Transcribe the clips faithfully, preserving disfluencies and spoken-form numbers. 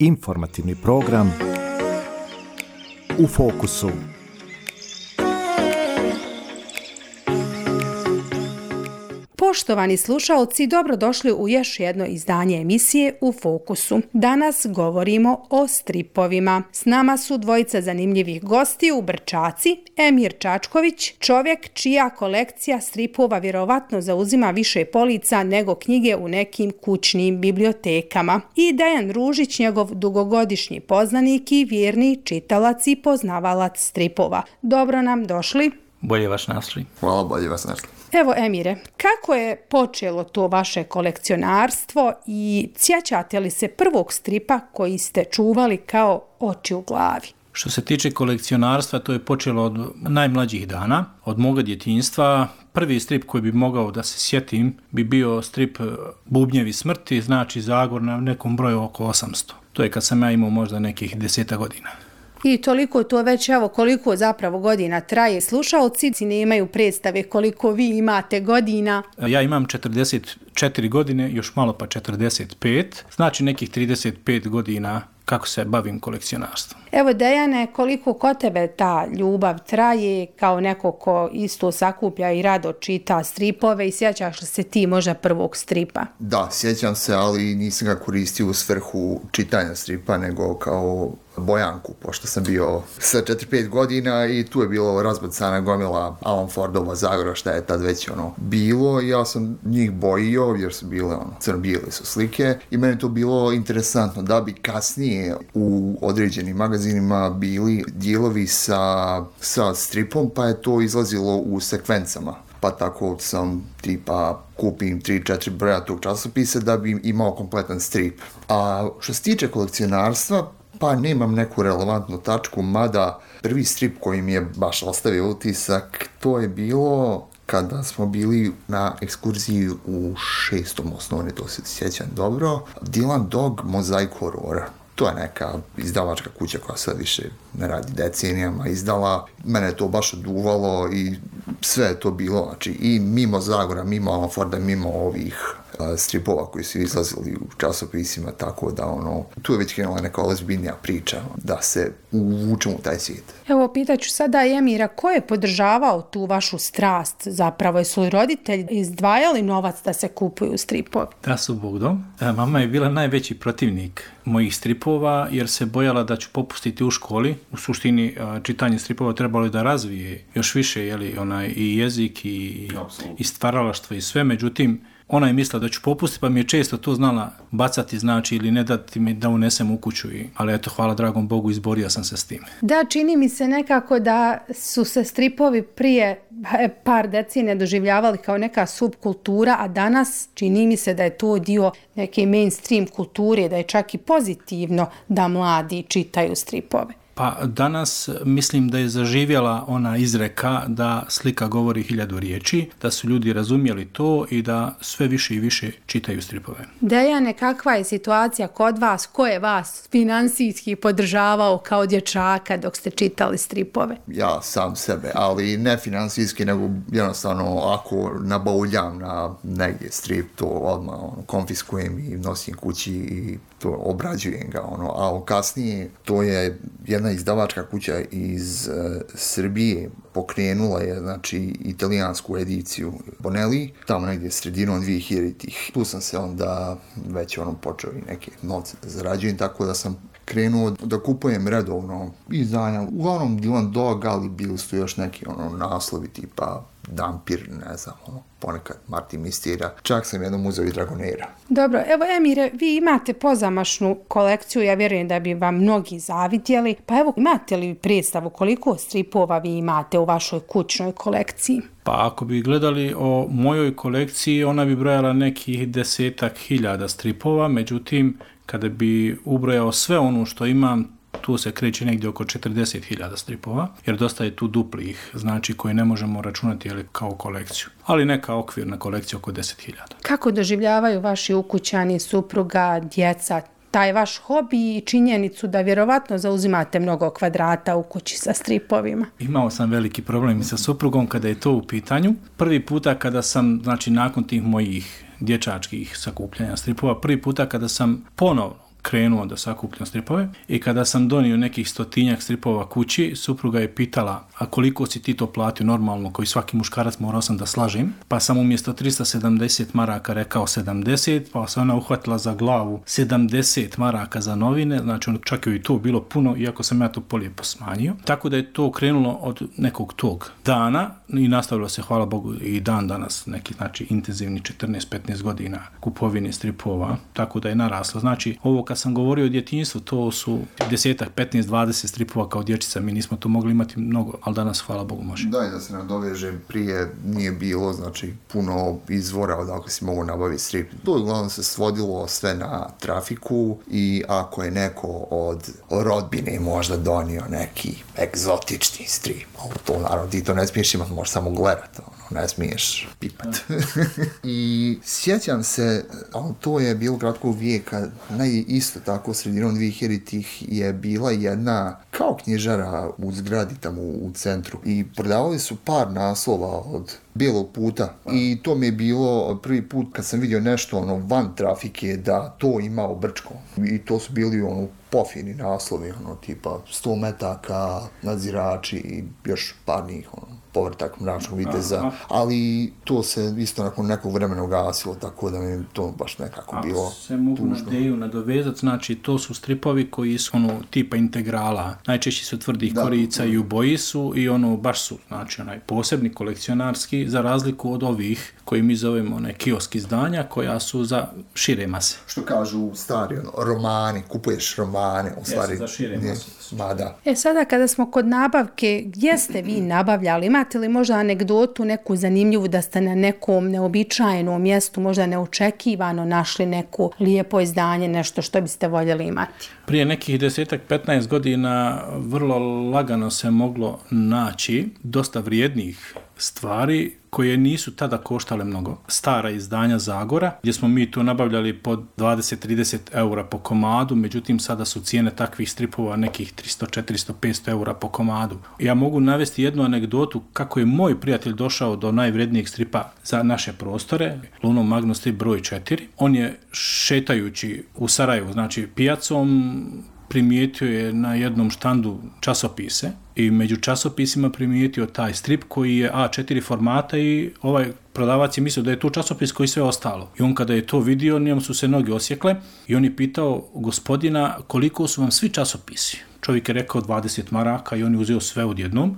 Informativni program U fokusu. Poštovani slušaoci, dobrodošli u još jedno izdanje emisije U fokusu. Danas govorimo o stripovima. S nama su dvojica zanimljivih gosti u Brčaci, Emir Čačković, čovjek čija kolekcija stripova vjerovatno zauzima više polica nego knjige u nekim kućnim bibliotekama, i Dejan Ružić, njegov dugogodišnji poznanik i vjerni čitalac i poznavalac stripova. Dobro nam došli. Bolje vas našli. Hvala, bolje vas našli. Evo, Emire, kako je počelo to vaše kolekcionarstvo i sjećate li se prvog stripa koji ste čuvali kao oči u glavi? Što se tiče kolekcionarstva, to je počelo od najmlađih dana, od moga djetinjstva. Prvi strip koji bi mogao da se sjetim bi bio strip Bubnjevi smrti, znači Zagor na nekom broju oko osamsto. To je kad sam ja imao možda nekih deseta godina. I toliko to već, evo, koliko zapravo godina traje. Slušaoci nemaju predstave koliko vi imate godina. Ja imam četrdeset četiri godine, još malo pa četrdeset pet, znači nekih trideset pet godina kako se bavim kolekcionarstvom. Evo, Dejane, koliko kod tebe ta ljubav traje kao neko ko isto sakuplja i rado čita stripove, i sjećaš li se ti možda prvog stripa? Da, sjećam se, ali nisam ga koristio u svrhu čitanja stripa, nego kao bojanku, pošto sam bio sa četiri pet godina i tu je bilo razbacana gomila Alan Fordova Zagora, šta je tad već ono bilo. Ja sam njih bojio jer su bile ono, crno-bijele su slike i meni to bilo interesantno da bi kasnije u određenim magazinima bili dijelovi sa, sa stripom, pa je to izlazilo u sekvencama. Pa tako sam tipa kupim tri četiri broja tog časopisa da bi imao kompletan strip. A što se tiče kolekcionarstva, pa nemam neku relevantnu tačku, mada prvi strip koji mi je baš ostavio utisak, to je bilo kada smo bili na ekskurziji u šestom osnovne, to se sjećam dobro, Dylan Dog Mozaik horora. To je neka izdavačka kuća koja sad više ne radi decenijama izdala. Mene je to baš oduvalo i sve je to bilo, znači i mimo Zagora, mimo Alan Forda, mimo ovih stripova koji su izlazili u časopisima, tako da ono, tu je već krenula neka ozbiljnija priča da se uvučemo u taj svijet. Evo, pitaću sada Emira, ko je podržavao tu vašu strast zapravo? Jesu li roditelji izdvajali novac da se kupuju stripovi? Da su Bog dom. Mama je bila najveći protivnik mojih stripova jer se bojala da ću popustiti u školi. U suštini čitanje stripova trebalo je da razvije još više, jeli, onaj, i jezik i, i stvaralaštvo i sve, međutim ona je mislila da ću popustiti, pa mi je često to znala bacati, znači, ili ne dati mi da unesem u kuću. I, ali eto, hvala dragom Bogu, izborio sam se s tim. Da, čini mi se nekako da su se stripovi prije par decenija doživljavali kao neka subkultura, a danas čini mi se da je to dio neke mainstream kulture, da je čak i pozitivno da mladi čitaju stripove. Pa danas mislim da je zaživjela ona izreka da slika govori hiljadu riječi, da su ljudi razumjeli to i da sve više i više čitaju stripove. Dejane, kakva je situacija kod vas? Ko je vas finansijski podržavao kao dječaka dok ste čitali stripove? Ja sam sebe, ali ne finansijski, nego jednostavno ako nabavljam na negdje strip, to odmah ono, konfiskujem i nosim kući i to obrađujem ga. Ono. A kasnije to je jedna izdavačka kuća iz uh, Srbije pokrenula je, znači, italijansku ediciju Bonelli, tamo negdje sredinom dvije hiljaditih. Tu sam se onda već ono počeo i neke novce da zarađujem, tako da sam krenuo da kupujem redovno izdanja. Uglavnom Dylan Dog, ali bili su još neki ono naslovi tipa Dampir, ne znam, ono, ponekad Martin Mistira. Čak sam jednom uzeo i Dragonera. Dobro, evo Emire, vi imate pozamašnu kolekciju, ja vjerujem da bi vam mnogi zavidjeli, pa evo, imate li predstavu koliko stripova vi imate u vašoj kućnoj kolekciji? Pa ako bi gledali o mojoj kolekciji, ona bi brojala nekih desetak hiljada stripova, međutim, kada bi ubrojao sve ono što imam, tu se kreće negdje oko četrdeset hiljada stripova, jer dosta je tu duplih, znači koje ne možemo računati jeli, kao kolekciju, ali neka okvirna kolekcija oko deset hiljada. Kako doživljavaju vaši ukućani, supruga, djeca, taj vaš hobi i činjenicu da vjerovatno zauzimate mnogo kvadrata u kući sa stripovima? Imao sam veliki problem sa suprugom kada je to u pitanju. Prvi puta kada sam, znači nakon tih mojih dječačkih sakupljanja stripova, prvi puta kada sam ponovno krenuo da sakupljam stripove i kada sam donio nekih stotinjak stripova kući, supruga je pitala, a koliko si ti to platio normalno, koji svaki muškarac morao sam da slažem, pa sam umjesto trista sedamdeset maraka rekao sedamdeset, pa se ona uhvatila za glavu sedamdeset maraka za novine, znači on čak je i to bilo puno, iako sam ja to polijepo smanjio. Tako da je to krenulo od nekog tog dana i nastavilo se, hvala Bogu, i dan danas neki, znači, intenzivni četrnaest petnaest godina kupovine stripova, tako da je naraslo. Znači, ovo kad sam govorio o djetinjstvu, to su desetak, petnaest, dvadeset stripova kao dječica, mi nismo to mogli imati mnogo, ali danas, hvala Bogu, može. Da, i da se nadovežem, prije nije bilo, znači, puno izvora odakle si mogu nabaviti strip. To uglavnom se svodilo sve na trafiku i ako je neko od rodbine možda donio neki egzotični strip, to naravno ti to ne smiješ imati, možeš samo gledati, ono, ne smiješ pipat. I sjećam se, ali to je bilo kratkog vijeka, naj isto tako sredinom dvihiljaditih je bila jedna kao knjižara u zgradi tamo u centru i prodavali su par naslova od Bijelog puta i to mi je bilo prvi put kad sam vidio nešto ono van trafike da to ima u Brčkom i to su bili ono pofini naslovi, ono tipa sto metaka, nadzirači i još par njih, ono Povrtak mračnog viteza, ali to se isto nakon nekog vremena ugasilo, tako da mi to baš nekako ako bilo tužno. Se mogu na ideju nadovezati, znači to su stripovi koji su ono tipa integrala, najčešće su tvrdih da, korica i u boji su i ono baš su, znači onaj posebni kolekcionarski, za razliku od ovih koji mi zovemo one kiosk izdanja koja su za šire mase. Što kažu stari ono, romani, kupuješ romane, u stvari. Jesu za šire mase. Ma da. E sada kada smo kod nabavke, gdje ste vi nabavljali? Imate li možda anegdotu neku zanimljivu da ste na nekom neobičajenom mjestu, možda neočekivano našli neko lijepo izdanje, nešto što biste voljeli imati? Prije nekih desetak, petnaest godina vrlo lagano se moglo naći dosta vrijednih stvari koje nisu tada koštale mnogo. Stara izdanja Zagora, gdje smo mi to nabavljali po dvadeset do trideset eura po komadu, međutim sada su cijene takvih stripova nekih tristo, četiristo, petsto eura po komadu. Ja mogu navesti jednu anegdotu kako je moj prijatelj došao do najvrednijeg stripa za naše prostore, Luno Magnus strip broj četiri. On je šetajući u Sarajevu, znači pijacom, primijetio je na jednom štandu časopise i među časopisima primijetio taj strip koji je A četiri formata i ovaj prodavac je mislio da je to časopis koji sve ostalo. I on kada je to vidio, njemu su se noge osjekle i on je pitao gospodina koliko su vam svi časopisi. Čovjek je rekao dvadeset maraka i on je uzeo sve odjednom,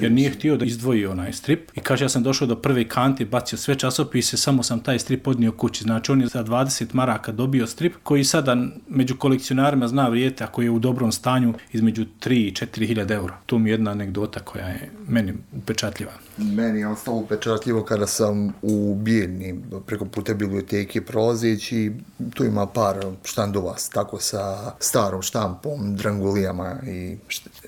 jer nije htio da izdvoji onaj strip. I kaže, ja sam došao do prve kante, bacio sve časopise, samo sam taj strip odnio kući. Znači, on je za dvadeset maraka dobio strip, koji sada među kolekcionarima zna vrijete, ako je u dobrom stanju, između tri i četiri hiljade eura. To mi je jedna anegdota koja je meni upečatljiva. Meni je ostalo upečatljivo kada sam u Bijeljni preko puta biblioteke prolazeći, tu ima par štandova tako sa starom štampom, drangulijama i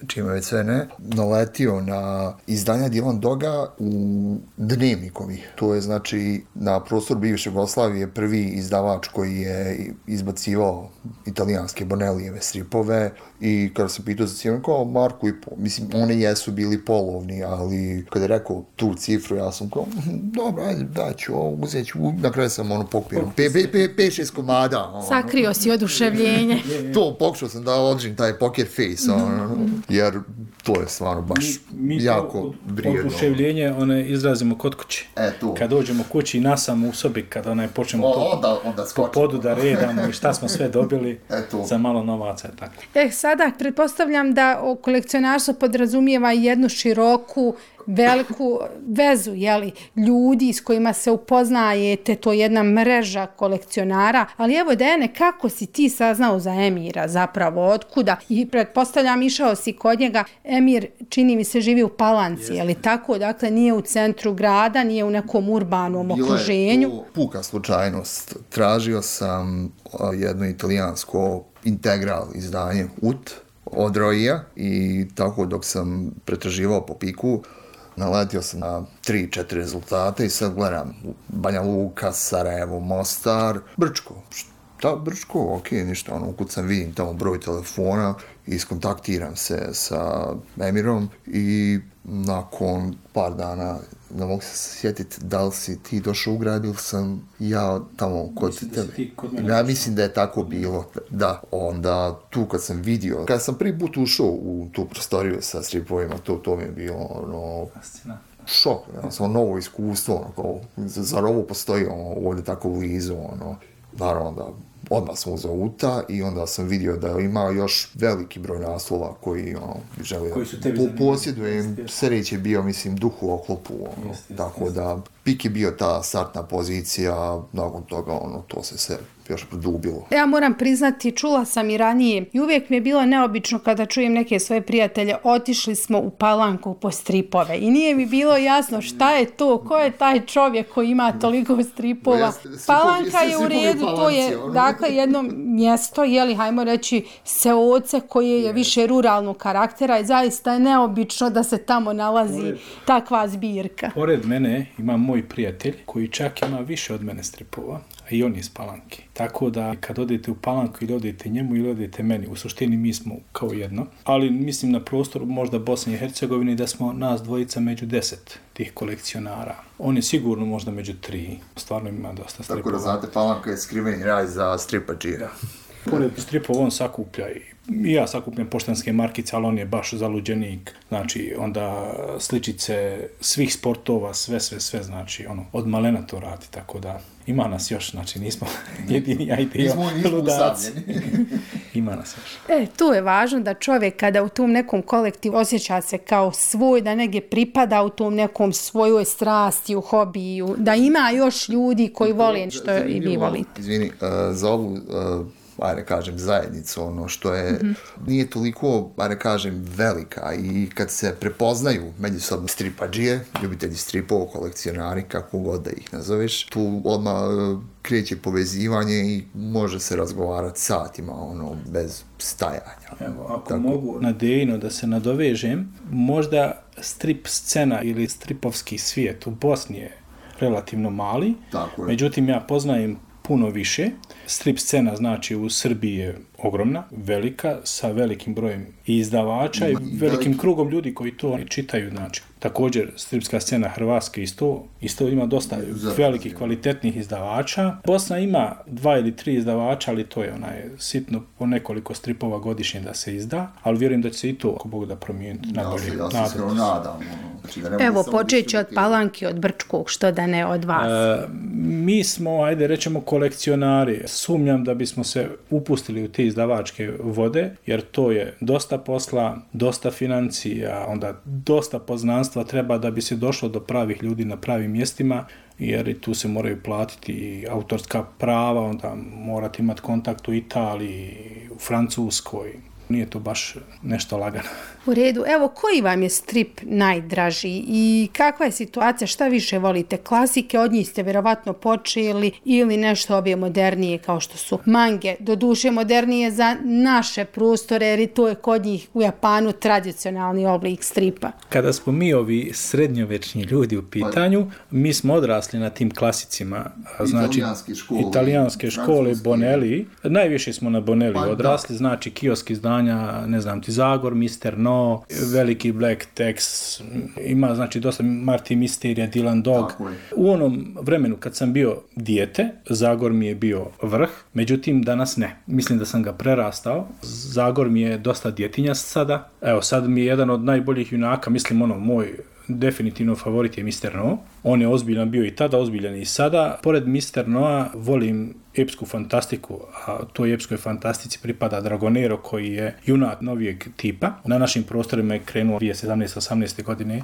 čime već sve ne, naletio na izdanja Dilan Doga u Dnevnikovi. To je znači na prostor bivše Jugoslavije prvi izdavač koji je izbacivao italijanske Bonellijeve stripove i kada sam pitao za cijenu, kao marku i pol, mislim, one jesu bili polovni, ali kada je rekao tu cifru, ja sam kao, dobro, ajde, daću, uzet ću, na kraju sam ono pokupio, pet šest komada. Ono. Sakrio si oduševljenje. To, pokušao sam da održim taj poker face, ono, jer to je stvarno baš mi, mi jako vrijedno. Oduševljenje one izrazimo kod kuće. E, tu. Kad dođemo kući i nasamo u sobi, kad onaj počnemo o, onda, onda po podu da redamo i šta smo sve dobili za malo novaca. Tako. E, sada pretpostavljam da kolekcionarstvo podrazumijeva jednu široku, veliku vezu, jeli, ljudi s kojima se upoznajete, to je jedna mreža kolekcionara, ali evo Dejane, kako si ti saznao za Emira zapravo, otkuda? I pretpostavljam, išao si kod njega, Emir, čini mi se, živi u Palanci, je li tako? Dakle, nije u centru grada, nije u nekom urbanom okruženju. Bila je to puka slučajnost. Tražio sam jedno italijansko integral izdanje U T od Roija i tako dok sam pretraživao po piku, naletio sam na tri četiri rezultate i sad gledam Banja Luka, Sarajevo, Mostar, Brčko. Da, Brčko, ok, ništa, ono, ukucam, vidim tamo broj telefona, iskontaktiram se sa Emirom i nakon par dana, ne mogu se sjetiti da li si ti došao u grad ili sam ja tamo kod tebe. Ja mislim da je tako bilo, da. Onda tu kad sam vidio, kad sam prvi put ušao u tu prostoriju sa stripovima, to, to mi je bilo ono... šok, ja, samo novo iskustvo, ono, kao, zar ovo postoji ono, ovdje tako blizu, ono, naravno da odmah sam uzeo uta i onda sam vidio da ima još veliki broj naslova koji ono, bi želio po, posjedujem, sreć je bio, mislim, duh u oklopu, ono, jest, jest, tako jest. Da pik je bio ta startna pozicija, nakon toga ono, to se sve još produbilo. Ja moram priznati, čula sam i ranije i uvijek mi je bilo neobično kada čujem neke svoje prijatelje, otišli smo u Palanku po stripove i nije mi bilo jasno šta je to, ko je taj čovjek koji ima toliko stripova. Palanka je u redu, to je dakle jedno mjesto, jeli, hajmo reći, seoce koje je više ruralnog karaktera i zaista je neobično da se tamo nalazi pored, takva zbirka. Pored mene ima moj prijatelj koji čak ima više od mene stripova, a i on je iz Palanke. Tako da kad odete u Palanku ili odete njemu ili odete meni, u suštini mi smo kao jedno. Ali mislim na prostoru možda Bosne i Hercegovine da smo nas dvojica među deset tih kolekcionara. On je sigurno možda među tri. Stvarno ima dosta stripova. Tako da znate, Palanka je skriveni raj za stripađije. Pored stripova on sakuplja i I ja sakupljam poštanske markice, ali on je baš zaluđenik, znači onda sličice svih sportova, sve, sve, sve, znači ono, od malena to radi, tako da ima nas još, znači nismo jedini, ja i ti ludaci. Ima nas još. E, tu je važno da čovjek kada u tom nekom kolektivu osjeća se kao svoj, da negdje pripada u tom nekom svojoj strasti, u hobiju, da ima još ljudi koji vole što i vi volite. Izvini, uh, za ovu... Uh, ajde kažem, zajednicu, ono što je, mm-hmm. nije toliko, ajde kažem, velika i kad se prepoznaju međusobno stripađije, ljubitelji stripova, kolekcionari, kako god da ih nazoveš, tu odmah kreće povezivanje i može se razgovarati satima, ono, bez stajanja. Evo, ako tako mogu na Dejino da se nadovežem, možda strip scena ili stripovski svijet u Bosni je relativno mali, međutim ja poznajem puno više. Strip scena, znači, u Srbiji je ogromna, velika, sa velikim brojem izdavača i velikim krugom ljudi koji to čitaju, znači. Također, stripska scena Hrvatske isto, isto ima dosta velikih, kvalitetnih izdavača. Bosna ima dva ili tri izdavača, ali to je onaj sitno po nekoliko stripova godišnje da se izda, ali vjerujem da će se i to, ako Bog da promijeniti, nabolje. Ja se nadam. Znači, evo, počet ću od Palanke, od Brčkog, što da ne od vas. E, mi smo, ajde rećemo, kolekcionari. Sumnjam da bismo se upustili u te izdavačke vode, jer to je dosta posla, dosta financija, onda dosta poznanstva treba da bi se došlo do pravih ljudi na pravim mjestima, jer i tu se moraju platiti i autorska prava, onda morate imati kontakt u Italiji, u Francuskoj. Nije to baš nešto lagano. U redu. Evo, koji vam je strip najdraži i kakva je situacija, šta više volite? Klasike, od njih ste vjerovatno počeli ili nešto obje modernije kao što su mange, doduše modernije za naše prostore, jer to je kod njih u Japanu tradicionalni oblik stripa. Kada smo mi ovi srednjovečni ljudi u pitanju, mi smo odrasli na tim klasicima, znači italijanske škole, italijanske škole Bonelli. Najviše smo na Bonelli pa, odrasli, znači kiosk izdanja, ne znam ti, Zagor, mister No, veliki Black Tex, ima znači dosta Marti Misterija, Dylan Dog. U onom vremenu kad sam bio dijete, Zagor mi je bio vrh, međutim danas ne. Mislim da sam ga prerastao. Zagor mi je dosta djetinja sada. Evo, sad mi je jedan od najboljih junaka, mislim ono, moj definitivno favorit je mister No. On je ozbiljan bio i tada, ozbiljan i sada. Pored mister Noa volim epsku fantastiku, a toj epskoj fantastici pripada Dragonero koji je junak novijeg tipa. Na našim prostorima je krenuo dvije tisuće sedamnaeste osamnaeste godine.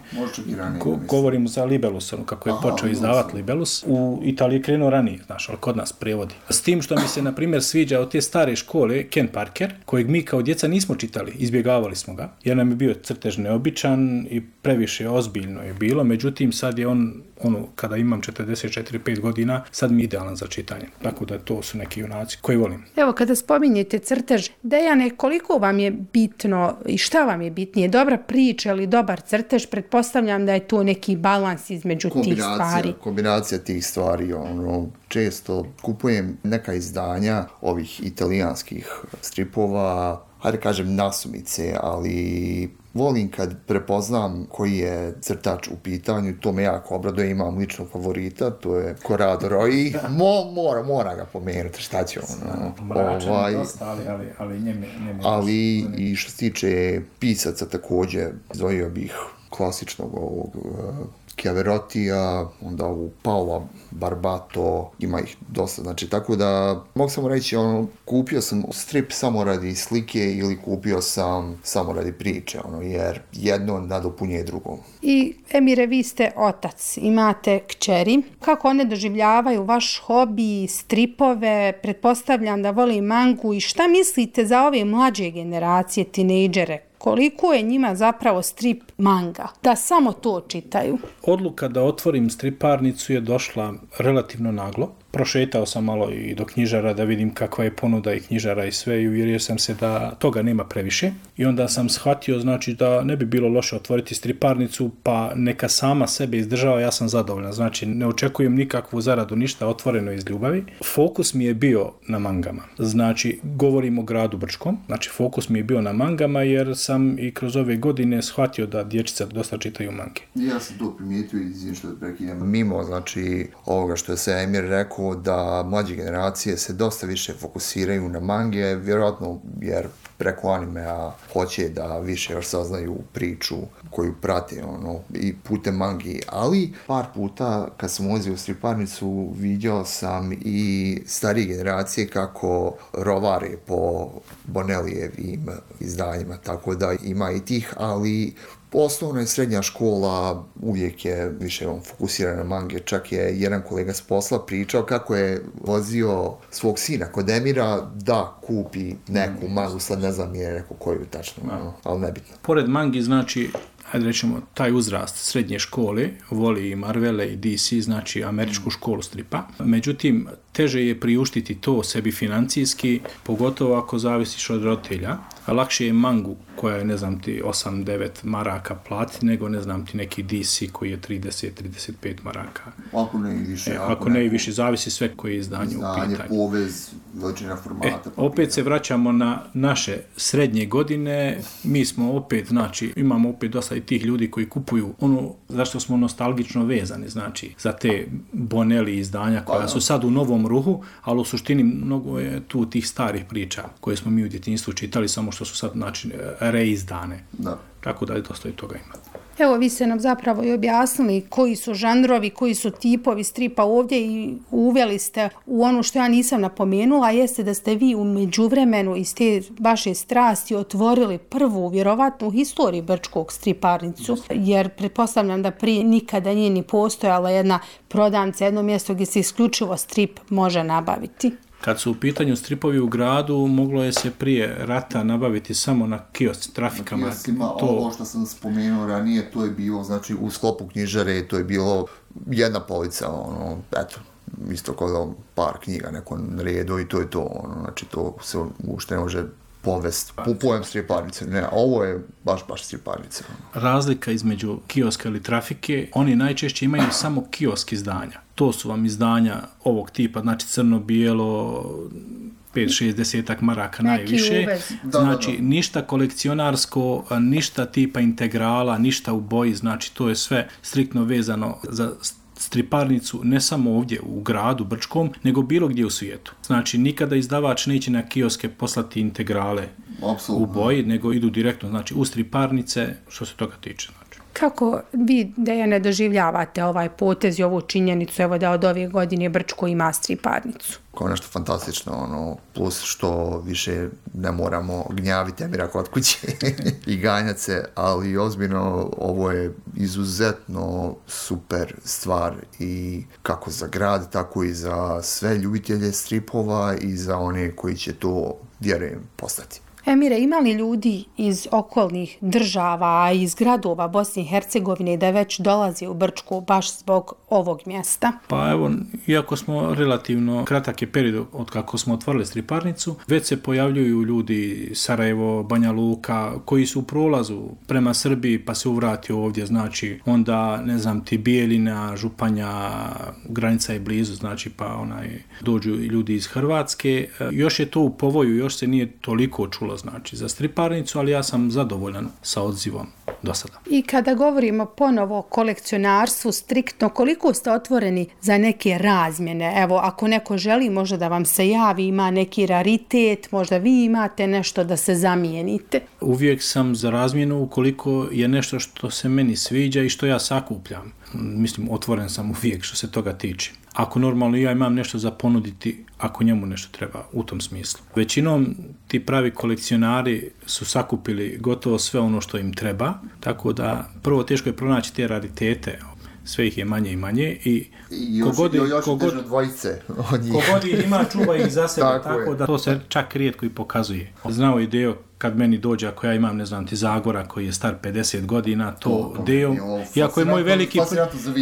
Go, govorim za Libelusom, kako je Aha, počeo izdavati Libelus. U Italiji je krenuo ranije, znaš, ali kod nas prevodi. S tim što mi se, na primjer, sviđa od te stare škole Ken Parker, kojeg mi kao djeca nismo čitali, izbjegavali smo ga, jer nam je bio crtež neobičan i previše ozbiljno je bilo, međutim sad je on ono, kada imam četrdeset četiri pet godina, sad mi je idealan za čitanje. Tako da to su neki junaci koji volim. Evo, kada spominjete crtež, Dejane, koliko vam je bitno i šta vam je bitnije? Dobra priča ili dobar crtež? Pretpostavljam da je to neki balans između tih stvari. Kombinacija tih stvari, ono, često kupujem neka izdanja ovih italijanskih stripova, hajde kažem nasumice, ali volim kad prepoznam koji je crtač u pitanju, to me jako obraduje, imam ličnog favorita, to je Corrado Roy, Mo, mora, mora ga pomenuti, šta će ono. Mračan ovaj, dosta, ali, ali, ali njeme, njeme ali dosta. I što se tiče pisaca također, izdvojio bih klasičnog ovog Chiaverotija, onda u Paola Barbato, ima ih dosta, znači tako da mogu samo reći, ono, kupio sam strip samo radi slike ili kupio sam samo radi priče, ono, jer jedno nadopunjuje drugo. I Emire, vi ste otac, imate kćeri, kako one doživljavaju vaš hobi, stripove, pretpostavljam da voli mangu i šta mislite za ove mlađe generacije, tinejdžere? Koliko je njima zapravo strip manga? Da samo to čitaju. Odluka da otvorim striparnicu je došla relativno naglo. Prošetao sam malo i do knjižara da vidim kakva je ponuda i knjižara i sve i uvjerio sam se da toga nema previše. I onda sam shvatio, znači, da ne bi bilo loše otvoriti striparnicu, pa neka sama sebe izdržava, ja sam zadovoljan. Znači, ne očekujem nikakvu zaradu, ništa, otvoreno iz ljubavi. Fokus mi je bio na mangama. Znači, govorim o gradu Brčkom. Znači, fokus mi je bio na mangama jer sam i kroz ove godine shvatio da dječica dosta čitaju mange. Ja sam to primijetio i što prekidam. Mimo, znači, ovoga što je se Emir rekao, da mlađe generacije se dosta više fokusiraju na mange, vjerojatno jer preko animea hoće da više još saznaju priču koju prate, ono, i putem mangi, ali par puta kad sam ulazio u striparnicu vidio sam i starije generacije kako rovare po Bonelijevim izdanjima, tako da ima i tih, ali osnovna i srednja škola uvijek je više on fokusirana na mange. Čak je jedan kolega s posla pričao kako je vozio svog sina kod Emira da kupi neku mangu, sad ne znam je neko koju tačno, no, ali nebitno. Pored mangi, znači, ajde rećemo, taj uzrast srednje škole, voli i Marvele i D C, znači američku školu stripa. Međutim, teže je priuštiti to sebi financijski, pogotovo ako zavisiš od roditelja. A lakše je mangu koja je, ne znam ti, osam devet maraka plati, nego, ne znam ti, neki D C koji je trideset trideset pet maraka. Ako ne i više. E, ako, ako ne i više, zavisi sve koje je izdanje, izdanje u pitanju. Povez, veličina formata. E, opet se vraćamo na naše srednje godine. Mi smo opet, znači, imamo opet dosta i tih ljudi koji kupuju ono zašto smo nostalgično vezani, znači, za te Bonelli izdanja koja su sad u novom ruhu, ali u suštini mnogo je tu tih starih priča koje smo mi u djetinjstvu čitali, samo što su sad, znači, reizdane. Da. Tako da je dosta i toga ima. Evo, vi ste nam zapravo i objasnili koji su žanrovi, koji su tipovi stripa ovdje i uveli ste u ono što ja nisam napomenula, jeste da ste vi u međuvremenu iz te vaše strasti otvorili prvu vjerovatnu u historiji Brčkog striparnicu, jer pretpostavljam da prije nikada nije ni postojala jedna prodavnica, jedno mjesto gdje se isključivo strip može nabaviti. Kad su u pitanju stripovi u gradu, moglo je se prije rata nabaviti samo na kiosci, trafikama. Na kioscima, to... ovo što sam spomenuo ranije, to je bilo, znači, u sklopu knjižare, to je bilo jedna polica, ono, eto, isto kao par knjiga neko redu i to je to, ono, znači, to se ušte ne može povest, kupujem striparnice, ne, ovo je baš, baš striparnice. Razlika između kioska ili trafike, oni najčešće imaju samo kiosk izdanja. To su vam izdanja ovog tipa, znači crno-bijelo, pet šezdeset maraka najviše. Znači, ništa kolekcionarsko, ništa tipa integrala, ništa u boji, znači to je sve striktno vezano za striparnicu ne samo ovdje u gradu Brčkom, nego bilo gdje u svijetu. Znači, nikada izdavač neće na kioske poslati integrale Absolutno. u boji, nego idu direktno, znači, u striparnice, što se toga tiče. Znači. Kako vi, Dejane, doživljavate ovaj potez i ovu činjenicu, evo da od ove godine Brčko ima striparnicu? Kao nešto fantastično, ono, plus što više ne moramo gnjaviti Emira kod kuće i ganjati se, ali ozbiljno ovo je izuzetno super stvar i kako za grad, tako i za sve ljubitelje stripova i za one koji će to, vjerujem, postati. Emire, ima li ljudi iz okolnih država, iz gradova Bosne i Hercegovine da već dolazi u Brčku baš zbog ovog mjesta? Pa evo, iako smo relativno kratak je period od kako smo otvorili striparnicu, već se pojavljuju ljudi Sarajevo, Banja Luka, koji su u prolazu prema Srbiji pa se uvrati ovdje, znači onda, ne znam, ti Bijeljina, Županja, granica je blizu, znači pa onaj, dođu ljudi iz Hrvatske. Još je to u povoju, još se nije toliko čulo, znači, za striparnicu, ali ja sam zadovoljan sa odzivom do sada. I kada govorimo ponovo o kolekcionarstvu, striktno, koliko ste otvoreni za neke razmjene? Evo, ako neko želi možda da vam se javi, ima neki raritet, možda vi imate nešto da se zamijenite. Uvijek sam za razmjenu ukoliko je nešto što se meni sviđa i što ja sakupljam. Mislim, otvoren sam uvijek što se toga tiče. Ako normalno ja imam nešto za ponuditi, ako njemu nešto treba u tom smislu. Većinom ti pravi kolekcionari su sakupili gotovo sve ono što im treba, tako da prvo teško je pronaći te raritete, sve ih je manje i manje i kogod dvojice od njih. Kogod ih ima, čuva ih za sebe, tako, tako da to se čak rijetko i pokazuje. Znao i Deo kad meni dođe, ako ja imam, ne znam, ti Zagora koji je star pedeset godina, to, to Deo, iako je moj veliki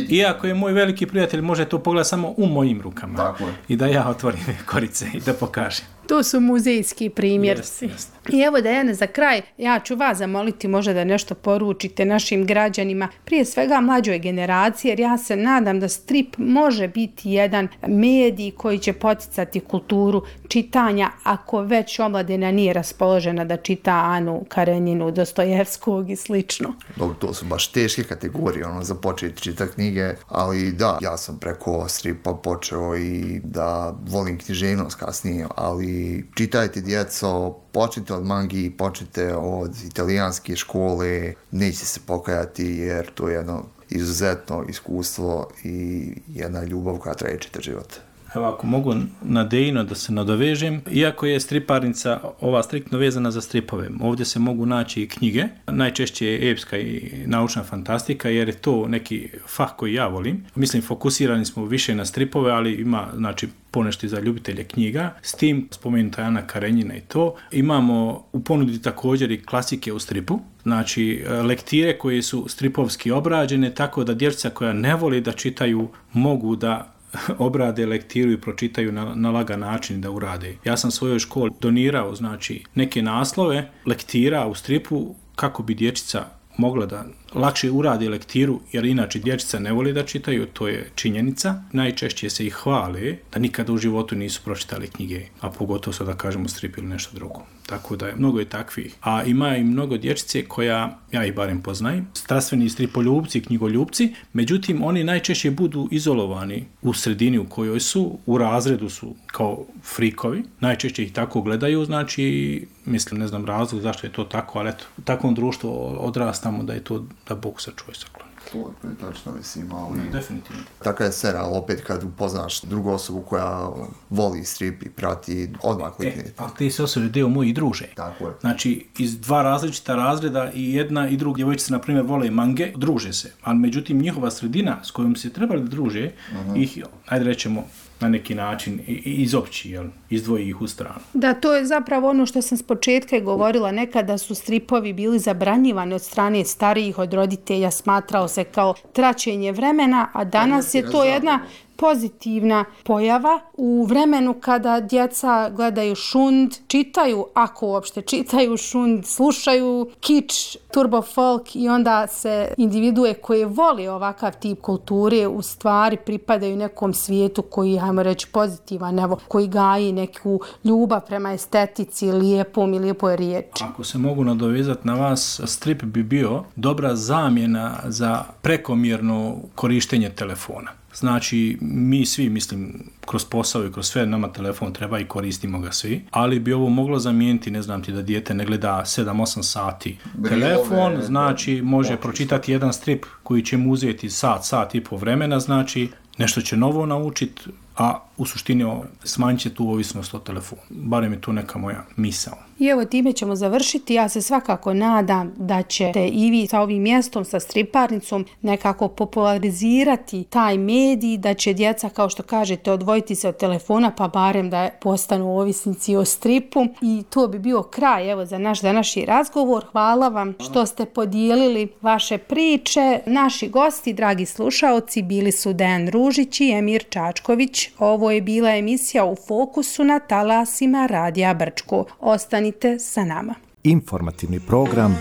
iako je moj veliki prijatelj, može to pogledati samo u mojim rukama. Tako. I da ja otvorim korice i da pokažem. To su muzejski primjerci. Jest, jest. I evo, Dejane, za kraj, ja ću vas zamoliti možda da nešto poručite našim građanima, prije svega mlađoj generaciji, jer ja se nadam da strip može biti jedan medij koji će poticati kulturu čitanja, ako već omladina nije raspoložena da čita Anu Karenjinu, Dostojevskog i slično. Dobro, to su baš teške kategorije, ono, za početi čitati knjige, ali da, ja sam preko stripa počeo i da volim književnost kasnije, ali čitajte, djeco, počnite od mangi, počnite od italijanske škole, neće se pokajati jer to je jedno izuzetno iskustvo i jedna ljubav koja traje čitav život. Evo, ako mogu na Dejino da se nadovežem, iako je striparnica ova striktno vezana za stripove, ovdje se mogu naći i knjige, najčešće je epska i naučna fantastika, jer je to neki fah koji ja volim. Mislim, fokusirani smo više na stripove, ali ima, znači, ponešto za ljubitelje knjiga. S tim, spomenuta Ana Karenjina i to, imamo u ponudi također i klasike u stripu, znači lektire koje su stripovski obrađene, tako da dječica koja ne voli da čitaju mogu da obrade lektiru i pročitaju na, na lagan način da urade. Ja sam svojoj školi donirao, znači, neke naslove lektira u stripu kako bi dječica mogla da lakše uradi lektiru, jer inače dječica ne voli da čitaju, to je činjenica. Najčešće se ih hvale da nikada u životu nisu pročitali knjige, a pogotovo sad da kažemo strip ili nešto drugo. Tako da je, mnogo je takvih. A ima i mnogo dječice koja, ja ih barem poznajem, strastveni stripoljubci, knjigoljubci, međutim oni najčešće budu izolovani u sredini u kojoj su, u razredu su kao frikovi, najčešće ih tako gledaju, znači, mislim, ne znam razlog zašto je to tako, ali eto, u takvom društvu odrastamo da je to da Bog sačuvaj sakloni. To je tačno, mislim, ali... Ne, definitivno. Tako je ser, ali opet kad upoznaš drugu osobu koja voli strip i prati, odmah kliknete. E, ali te se osobe deo moji druže. Tako je. Znači, iz dva različita razreda i jedna i druga djevojčica, na primjer, vole mange, druže se. Ali međutim, njihova sredina s kojom se trebali da druže, uh-huh. ih, ajde rećemo, na neki način izopći, jel, izdvoji ih u stranu. Da, to je zapravo ono što sam s početka govorila, nekada su stripovi bili zabranjivani od strane starijih, od roditelja, smatrao se kao traćenje vremena, a danas je to jedna pozitivna pojava u vremenu kada djeca gledaju šund, čitaju, ako uopšte čitaju šund, slušaju kič, turbo folk i onda se individue koje voli ovakav tip kulture u stvari pripadaju nekom svijetu koji, hajmo reći, pozitivan, evo, koji gaji neku ljubav prema estetici, lijepom i lijepoj riječi. Ako se mogu nadovezati na vas, strip bi bio dobra zamjena za prekomjerno korištenje telefona. Znači, mi svi, mislim, kroz posao i kroz sve nama telefon treba i koristimo ga svi, ali bi ovo moglo zamijeniti, ne znam ti, da dijete ne gleda sedam osam sati telefon, znači može pročitati jedan strip koji će mu uzeti sat, sat i po vremena, znači nešto će novo naučiti, a u suštini smanjit će tu ovisnost o telefonu. Barem je tu neka moja misao. I evo time ćemo završiti. Ja se svakako nadam da ćete i vi sa ovim mjestom, sa striparnicom nekako popularizirati taj medij, da će djeca, kao što kažete, odvojiti se od telefona pa barem da postanu ovisnici o stripu. I to bi bio kraj evo za naš današnji razgovor. Hvala vam što ste podijelili vaše priče. Naši gosti, dragi slušaoci, bili su Dejan Ružić i Emir Čačković. Ovo je bila emisija U fokusu na talasima Radija Brčko. Ostanite sa nama. Informativni program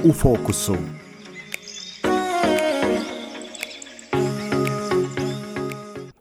U fokusu.